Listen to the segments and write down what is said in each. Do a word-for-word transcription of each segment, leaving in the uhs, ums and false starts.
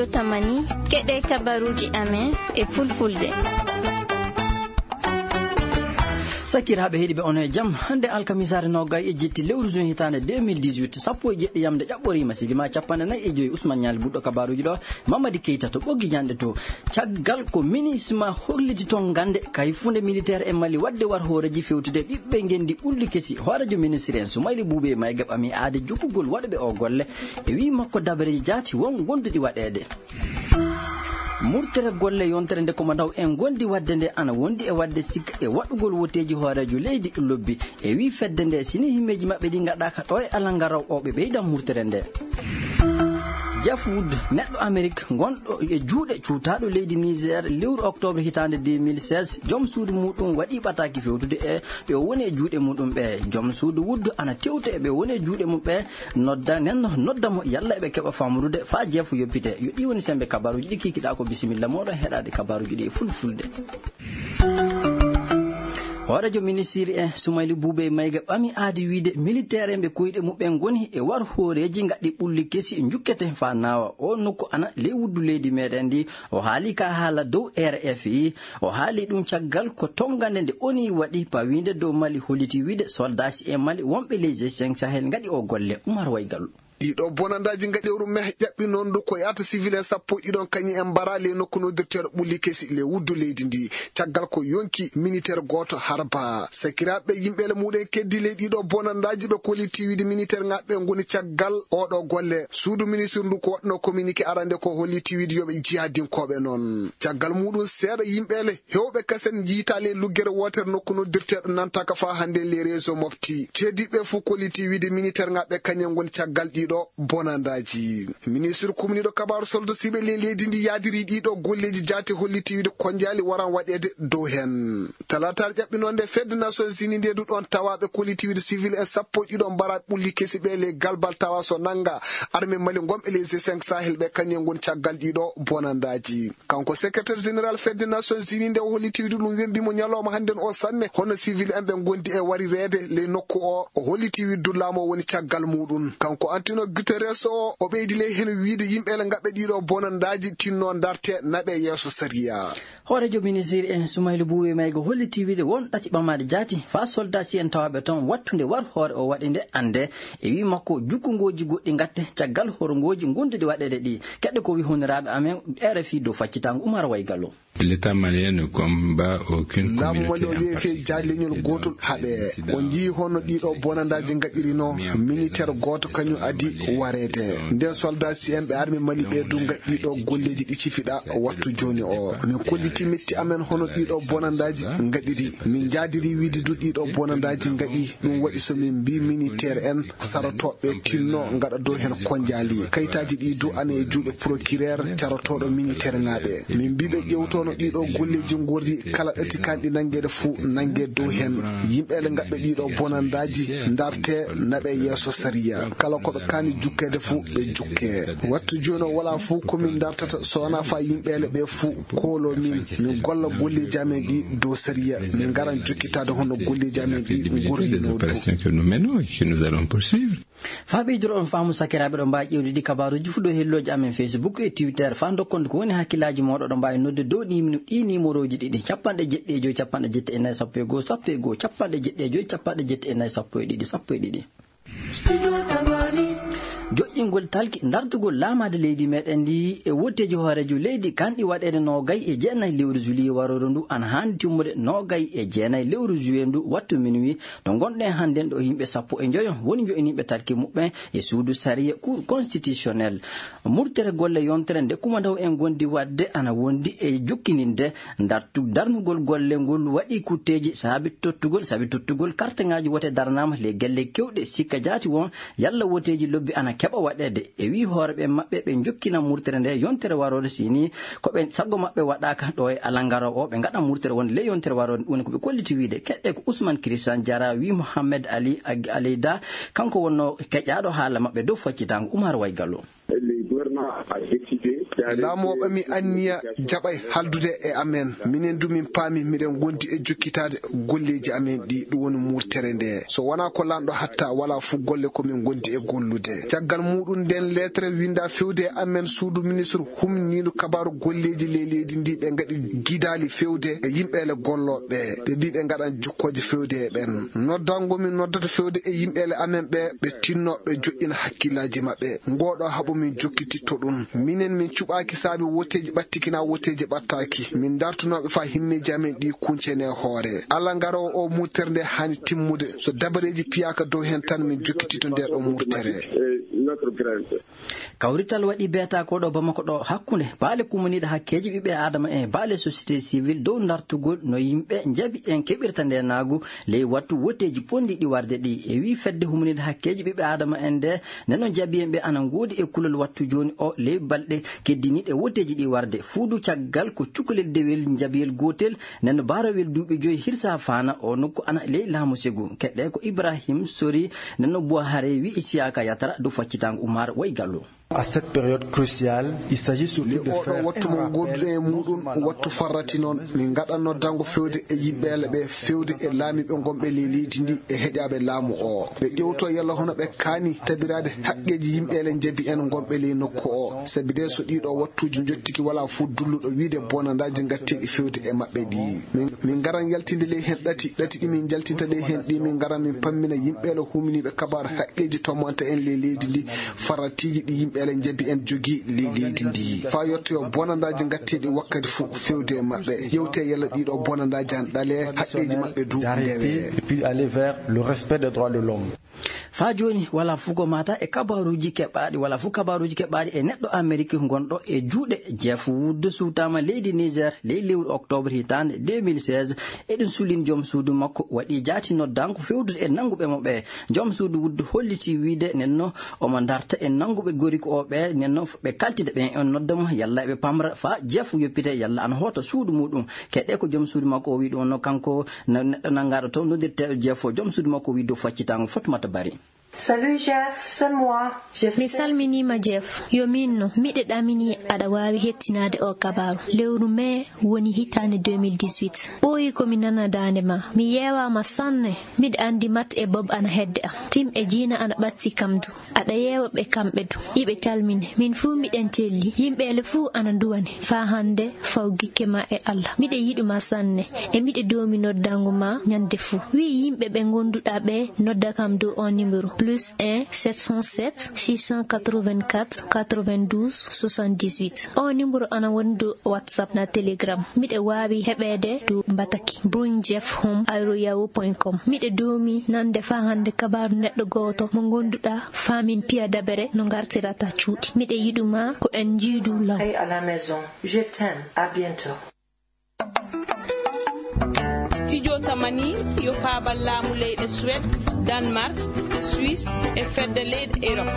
Tamani, keɗe kabaruuji amen e fulfulde. Sakiraaɓe heɗiiɓe, on e jam. Hannde alkamisaare nogay e jetti lewru juin hitaande deux mille dix-huit, sappo e jeɗɗi yamde ƴaɓɓoriima, silima capanɗe nayi e joyi. Usman Ñaali buɗɗo kabaruuji ɗo, Mamadi Keita to ɓoggi janɗe to. Caggal ko minisma holliti toon gannde kay funde militaire e Mali waɗde war hooreeji fewtude ɓiɓɓe ngenndi ɓulli kesi. Hooreejo ministre en Sumayli Buube Mayga ɓami aade jokkugol waɗuɓe o golle e wii makko dabareeji jaati won gonduɗi waɗeede. Murtere golle yontere nde komandaw en gondi wadde nde ana wondi e wadde sikka e waɗugol woteeji hooreejo leydi lobbi. E wii fedde nde, sini himmeeji maɓɓe ɗi ngaɗaaka ɗo e alangaraw o, ɓe ɓeydan murtere nde. Jeff Wood, neɗɗo Amerik gonɗo e juuɗe cuutaaɗo leydi Niger, lewru octobre hitaande deux mille seize, joom suudu muɗum waɗi ɓataaki fewtude e ɓe o woni e juuɗe muɗum ɓe. Joom suudu Wood ana tewte e ɓe woni e juuɗe mum ɓe, nodda, nden nodda mo yalla eɓe keɓa famrude faa Jeff yoppite. Yo ɗi woni sembe kabaruuji ɗi kikiɗaa ko. Bisimilla mooɗon heɗaade kabaruuji ɗi e fulfulde. Hooreejo ministiri en Sumayli Buube Mayga ɓami aadi wiide militeer en ɓe koyɗe muɓɓen ngoni e war hooreeji ngaɗɗi ɓulli kesi njukkete faa naawa. O nokku ana ley wuddu leydi meɗen ndi. O haali ka haala dow R F I. O haali ɗum caggal ko tongande nde O N U waɗi pawiinde dow Mali, holliti wiide soldaaji e Mali wonɓe ley G cinq Sahel ngaɗi o golle. Umar Waygalu. Ɗiɗo bonandaaji ngaɗi lewru meh ƴaɓɓi noon ndu ko yaata civil en sappo e ɗiɗon kañum en mbara ley nokku noddirteeɗo ɓulli kesi ley wuddu leydi ndi. Caggal ko yonki militeer gooto harba. Sakiraaɓe yimɓe le muɗen keddi ley ɗiɗo bonandaaji ɓe kolliti wiide militeer ngaɓɓe ngoni caggal oɗo golle. Suudu ministre ndu ko waɗno communiqué arande ko holliti wiide yoɓe jihadinkooɓe noon. Caggal muɗum seeɗa yimɓe le hewɓe kasen njiitaali e luggere wootere nokku noddirteeɗo nantaka faa hannde les réseaux mofti. Ceediiɓe fof kolliti wiide militeer ngaɓɓe kañum ngoni caggal ɗiɗo bonandaaji. Ministre kumniiɗo kabaaru soldo siɓe le leydi ndi yaadiri ɗiɗo golleeji jaati holliti wiide konjaali waran waɗeede dow heen. Talaataare ƴaɓɓi noon nde fedde Nations Unies nde du ɗoon tawaaɓe kolliti wiide civil en sappo e ɗiɗo mbara ɓulli kesi ɓe le galbal tawa so nannga armée Mali ngonɓe les G cinq Sahel ɓe kañum ngoni caggal ɗiɗo bonandaaji. Kanko secrétaire général fedde Nations Unies nde o holliti wiide ɗum wembi mo ñalawma hannden o sanne hono civil en ɓe ngondi e warireede ley nokku o. O holliti wiide du laamu o woni caggal muɗum. Kanko Antonio Guterres o, o ɓeydi ley heen wiide yimɓe le ngaɓɓe ɗiɗo bonandaaji tinno ndarte naɓe yeeso sariya. Hooreejo ministiri en Sumaylu Buuwe Mayga holliti wiide won ɗati ɓamaade jaati faa soldaasi'en tawaaɓe toon wattunde war hoore o waɗi nde annde. E wii makko, jukkungooji goɗɗi ngatte caggal horongooji gonduɗi waɗeede ɗi. Keɗɗe ko wii honiraaɓe amen R F I dow faccitaango Umar Waygallo. L'État malien ne combat aucune communauté en particulier. Laamu Mali o yehi fii jaaleñol gootol haɓe. On njii hono ɗiɗo bonandaaji ngaɗirino militaire gooto kañum adi wareede. Nden soldaasi'en ɓe armée Mali ɓe du ngaɗi ɗiɗo golleeji ɗi cifiɗa wattu jooni o. Min kolliti metti amen hono ɗiɗo bonandaaji ngaɗiri. Min njaadiri wiide du ɗiɗo bonandaaji ngaɗi. Ɗum waɗi so min mbii militaire en sarotooɓe tinno ngaɗa dow heen konjaali. Kayitaaji ɗi du ana e juuɗe procureur carotooɗo militaire ŋaaɓe. Min mbii ɓe ƴewtono ɗiɗo golleeji ngorri kala ɗati kanɗi nanngeede fuu nannge dow heen. Yimɓe le ngaɓɓe ɗiɗo bonandaaji ndarte naɓe yeeso sariya. Kala ko ɓe kaani jukkeede fuu ɓe jukke. Wattu jooni o wala fuu ko min ndartata so wonaa faa yimɓe le ɓe fuu koolo min. Min golla golleeji amen ɗi dow sariya. Min ngaran jokkitaade hono golleeji amen ɗi ngorri no du. Opérations que nous menons et que nous allons poursuivre. Faa ɓeydoro on faamu sakiraaɓe ɗo mbaawi ƴeewde ɗi kabaaruuji fuu dow hellooji amen Facebook e Twitter. Faa ndokkon ko woni hakkillaaji mooɗon ɗo mbaawi nodde dow ɗi minu-, ɗi nimorooji ɗiɗi, capanɗe jeɗɗi e joy, capanɗe jeɗɗi e nayi, sappo e goo, sappo e goo, capanɗe jeɗɗi e joy, capanɗe jeɗɗi e nayi, sappo e ɗiɗi, sappo e ɗiɗi. Joƴƴingol talki dartugol laamaade leydi meɗen ndi e wotteeji hooreejo leydi kanɗi waɗeede noogay e jeenayi lewru juillet warooru ndu ana haandi timmude noogay e jeenayi lewru juillet ndu wattu minuit. To ngonɗen hannden ɗo yimɓe sappo e njoyo woni njo'iniiɓe talki muɓɓen e suudu sariya Cour constitutionnelle. Murtere golle yontere nde kumandaw en gondi waɗde ana wondi e jokkininde dartu-, darnugol golle ngol waɗi kutteeji saabi tottugol, saabi tottugol karteŋaaji wote darnaama le gelle kewɗe sikka jaati won yalla woteeji lobbi ana keɓa waɗeede. E wii hooreɓe maɓɓe ɓe jokkina murtere nde yontere waroore sini ko ɓe sago maɓɓe waɗaaka ɗo e alangaro o ɓe ngaɗa murtere wonde le yontere waroore woni ko ɓe kolliti wiide. Keɗɗe ko Ousmane Christian Diarra wii Mohamed Ali Ag-, Aleyda kanko wonno keƴaaɗo haala maɓɓe dow faccitaango Umar Waygallo. Laamu o ɓami anniya jaɓay haldude e amen. Minen du min paami miɗen ngondi e jokkitaade golleeji amen ɗi, ɗum woni murtere nde. So wonaa ko lanɗo hatta, walaa fuu golle ko min ngondi e gollude. Caggal muɗum nden leetere winda fewde e amen suudu ministre humniiɗo kabaaru golleeji ley leydi ndi, ɓe ngaɗi gidaali fewde e yimɓeele gollooɓe. Ɓe mbi ɓe ngaɗan jokkooje fewde e ɓen. Noddango min noddata fewde e yimɓeele amen ɓe, ɓe tinno ɓe joɗɗina hakkillaaji maɓɓe. Ngoɗo haɓu min jokkititto ɗum. Minen min cuɓaaki saabi woteeji ɓattiki na woteeji ɓattaaki. Min dartunooɓe faa himmeeji amen ɗi kuncene hoore. Alla ngaroowo o murtere nde haani timmude. So dabareeji piyaaka dow heen tan min jokkititto nde ɗo murtere. Kawrital waɗi beeta ko ɗo Bamako ɗo hakkunde baale kumaniiɗe hakkeeji ɓiɓɓe Aadama e baale société civile dow dartugol no yimɓe njabi en keɓirta nde naagu ley wattu woteeji pondiiɗi warde ɗi. E wii fedde humaniiɗe hakkeeji ɓiɓɓe Aadama en nde neno njabi en ɓe ana ngoodi e kulol wattu jooni o ley balɗe keddiniiɗe woteeji ɗi warde. Fuudu caggal ko cukalel dewel njabiyel gootel neno baarowel duuɓi joyi hirsa faana o nokku ana ley laamu segu. Keɗɗe ko Ibrahim Sori neno Buhare wi Isiyaka Yatara dow faccitango Umar Waygalu. À cette période cruciale, il s'agit surtout de oɗo faire wattu un mo rappel goduɗo e muɗum wattu farrati noon min ngaɗa noddango fewde e yimɓeele ɓe fewde e laamiɓe gonɓe ley leydi ndi e heƴaɓe laamu o ɓe ƴewto yalla hono ɓe kaani tabirade haqqeji yimɓeele jabi en gonɓe ley nokku o sabi de so ɗiɗo wattuji jottiki wala fof dulluɗo wiide bonandaji gatteɗi fewde e maɓɓe ɗi min min ngaran yaltinde ley hen ɗati ɗati ɗi min jaltinta ley hen ɗi min ngaran min pammina yimɓeele humniɓe kabar haqqeji tomanta en ley leydi ndi faratiiji ɗi yimɓe ele njabi en jogii ley leydi ndi faa yettoyo bonandaaji ngatteeɗi wakkati fof fewde e maɓɓe yewte yalla ɗiɗo bonandaaji an ɗale haqqeeji maɓɓe du ndewe et puis aller vers le respect des droits de l'homme. Faa jooni walaa fuu ko maata e kabaaruuji keɓaaɗi walaa fuu kabaaruuji keɓaaɗi e neɗɗo Amerik gonɗo e juuɗe Jeff Wood suutaama leydi Niger ley lewru octobre hitaande deux mille seize. Eɗen sulin joom suudu makko waɗi jaati noddanko fewdude e nannguɓe mo ɓe. Joom suudu Wood holliti wiide nenno omo darta e nannguɓe goriko o ɓe nenno ɓe kaltida ɓen on nodda mo yalla eɓe pamra faa Jeff yoppite yalla ana hoota suudu muɗum. Keɗɗe ko joom suudu makko o wi ɗum no kanko neɗɗo nanngaɗo toon noddirteeɗo Jeff o joom suudu makko wi dow faccitango Fatmata Bari. Salut Jeff, c'est moi. Mi salminiima Jeff. Yo miin no, miɗe ɗamini aɗa waawi hettinaade oo kabaaru. Lewru mee woni hitaande deux mille dix-huit. Ɓooyi ko mi nana daande ma. Mi yeewaama sanne. Miɗa anndi Matt e Bob ana hedde am. Tim e Jiina ana ɓatti kam du. Aɗa yeewa ɓe kamɓe du. Iɓe calmine. Min fuu miɗen celli. Yimɓeele fuu ana nduwane. Faa hannde faw gikke ma e Allah. Miɗe yiɗu ma sanne. E miɗe doomi noddango ma ñande fuu. Wii yimɓe ɓe ngonduɗaa ɓe nodda kam dow oo nimero plus un sept cent sept six cent quatre-vingt-quatre quatre-vingt-douze soixante-dix-huit. Oo nimero ana woni dow WhatsApp na Telegram. Miɗe waawi heɓeede dow bataki bring jeff home at yahoo point com. Miɗe doomi nande faa hannde kabaaru neɗɗo gooto mo ngonduɗaa faa min piya dabere no ngartirata cuuɗi. Miɗe yiɗu ma ko en njiidu law. Paix à la maison. Je t'aime. À bientôt. Studio Tamani yo faabal laamu leyɗe Suède, Danemark, Suisse e fedde leyɗe Europe.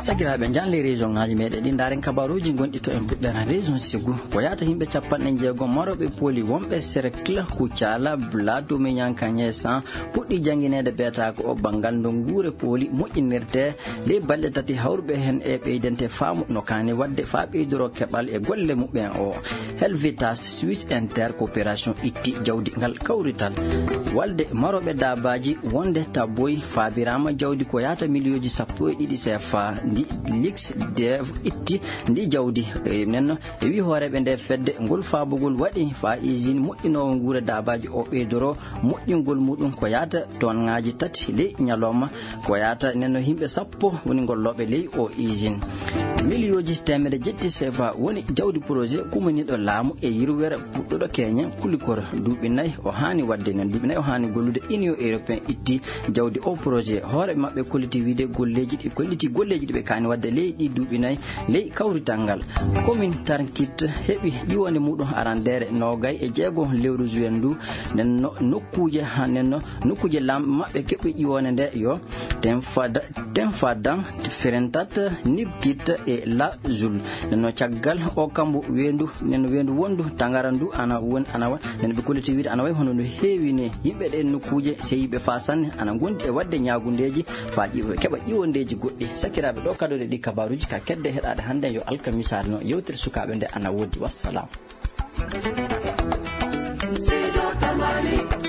Sakiraaɓe, njahen ley région ŋaaji meɗen ɗi ndaaren kabaruuji gonɗi to en puɗɗere région Ségou. Ko yahata yimɓe capanɗe jeegom marooɓe pooli wonɓe Cercle, Koutiala, Bla, Domignanka, Niessan puɗɗi janngineede beetaako o banngal no nguure pooli moƴƴinirtee ley balɗe tati hawruɓe heen e ɓeydante faamu no kaani waɗde faa ɓeydoroo keɓal e golle muɓɓen o. Helvetas Swiss Inter Coopération itti jawdi ngal kawrital. Walde marooɓe daabaaji wonde tabboy faabiraama jawdi ko yahata miliyooji sappo e ɗiɗi C F A ndi Lix Dev itti ndi jawdi. E nenno e wii hooreeɓe nde fedde ngol faabugol waɗi faa usine moƴƴinoowo nguure daabaaji o ɓeydoroo moƴƴingol muɗum ko yahata tonŋaaji tati ley ñalawma. Ko yahata nenno yimɓe sappo woni gollooɓe ley o usine. Miliyooji teemedde jetti C F A woni jawdi projet kumaniiɗo laamu e yirwere puɗɗuɗo keñen kulikor duuɓi nayi o haani waɗde nen duuɓi nayi o haani gollude Union Européen itti jawdi o projet hoore maɓɓe kolliti wiide golleeji ɗi kolliti golleeji ɗi ɓe kaani waɗde ley ɗi duuɓi nayi ley kawrital ngal. Komin Tarkit heɓi ƴiwonde muɗum arandeere noogay e jeego lewru juin ndu nenno nokkuuje ha nenno nokkuuje lamɓe maɓɓe keɓɓi ƴiwonde nde yo tenfada tenfadan firentat nibkit e lazul nenno caggal o kambo weendu nenno weendu wondu tagara ndu ana woni ana wa nenno ɓe kolliti wiide ana wayi hono no heewi ni yimɓe ɗe nokkuuje seyiɓe fa sanne ana gondi e wadde ñaagundeeji fa ƴiwo keɓa ƴiwondeeji goɗɗi sakiraaɓe ɗo Kadoɗe ɗi kabaruji ka kedde heɗade hande yo alkamisaare no yewtere sukaɓe nde ana wodi. Wassalam. Seydi Tamani.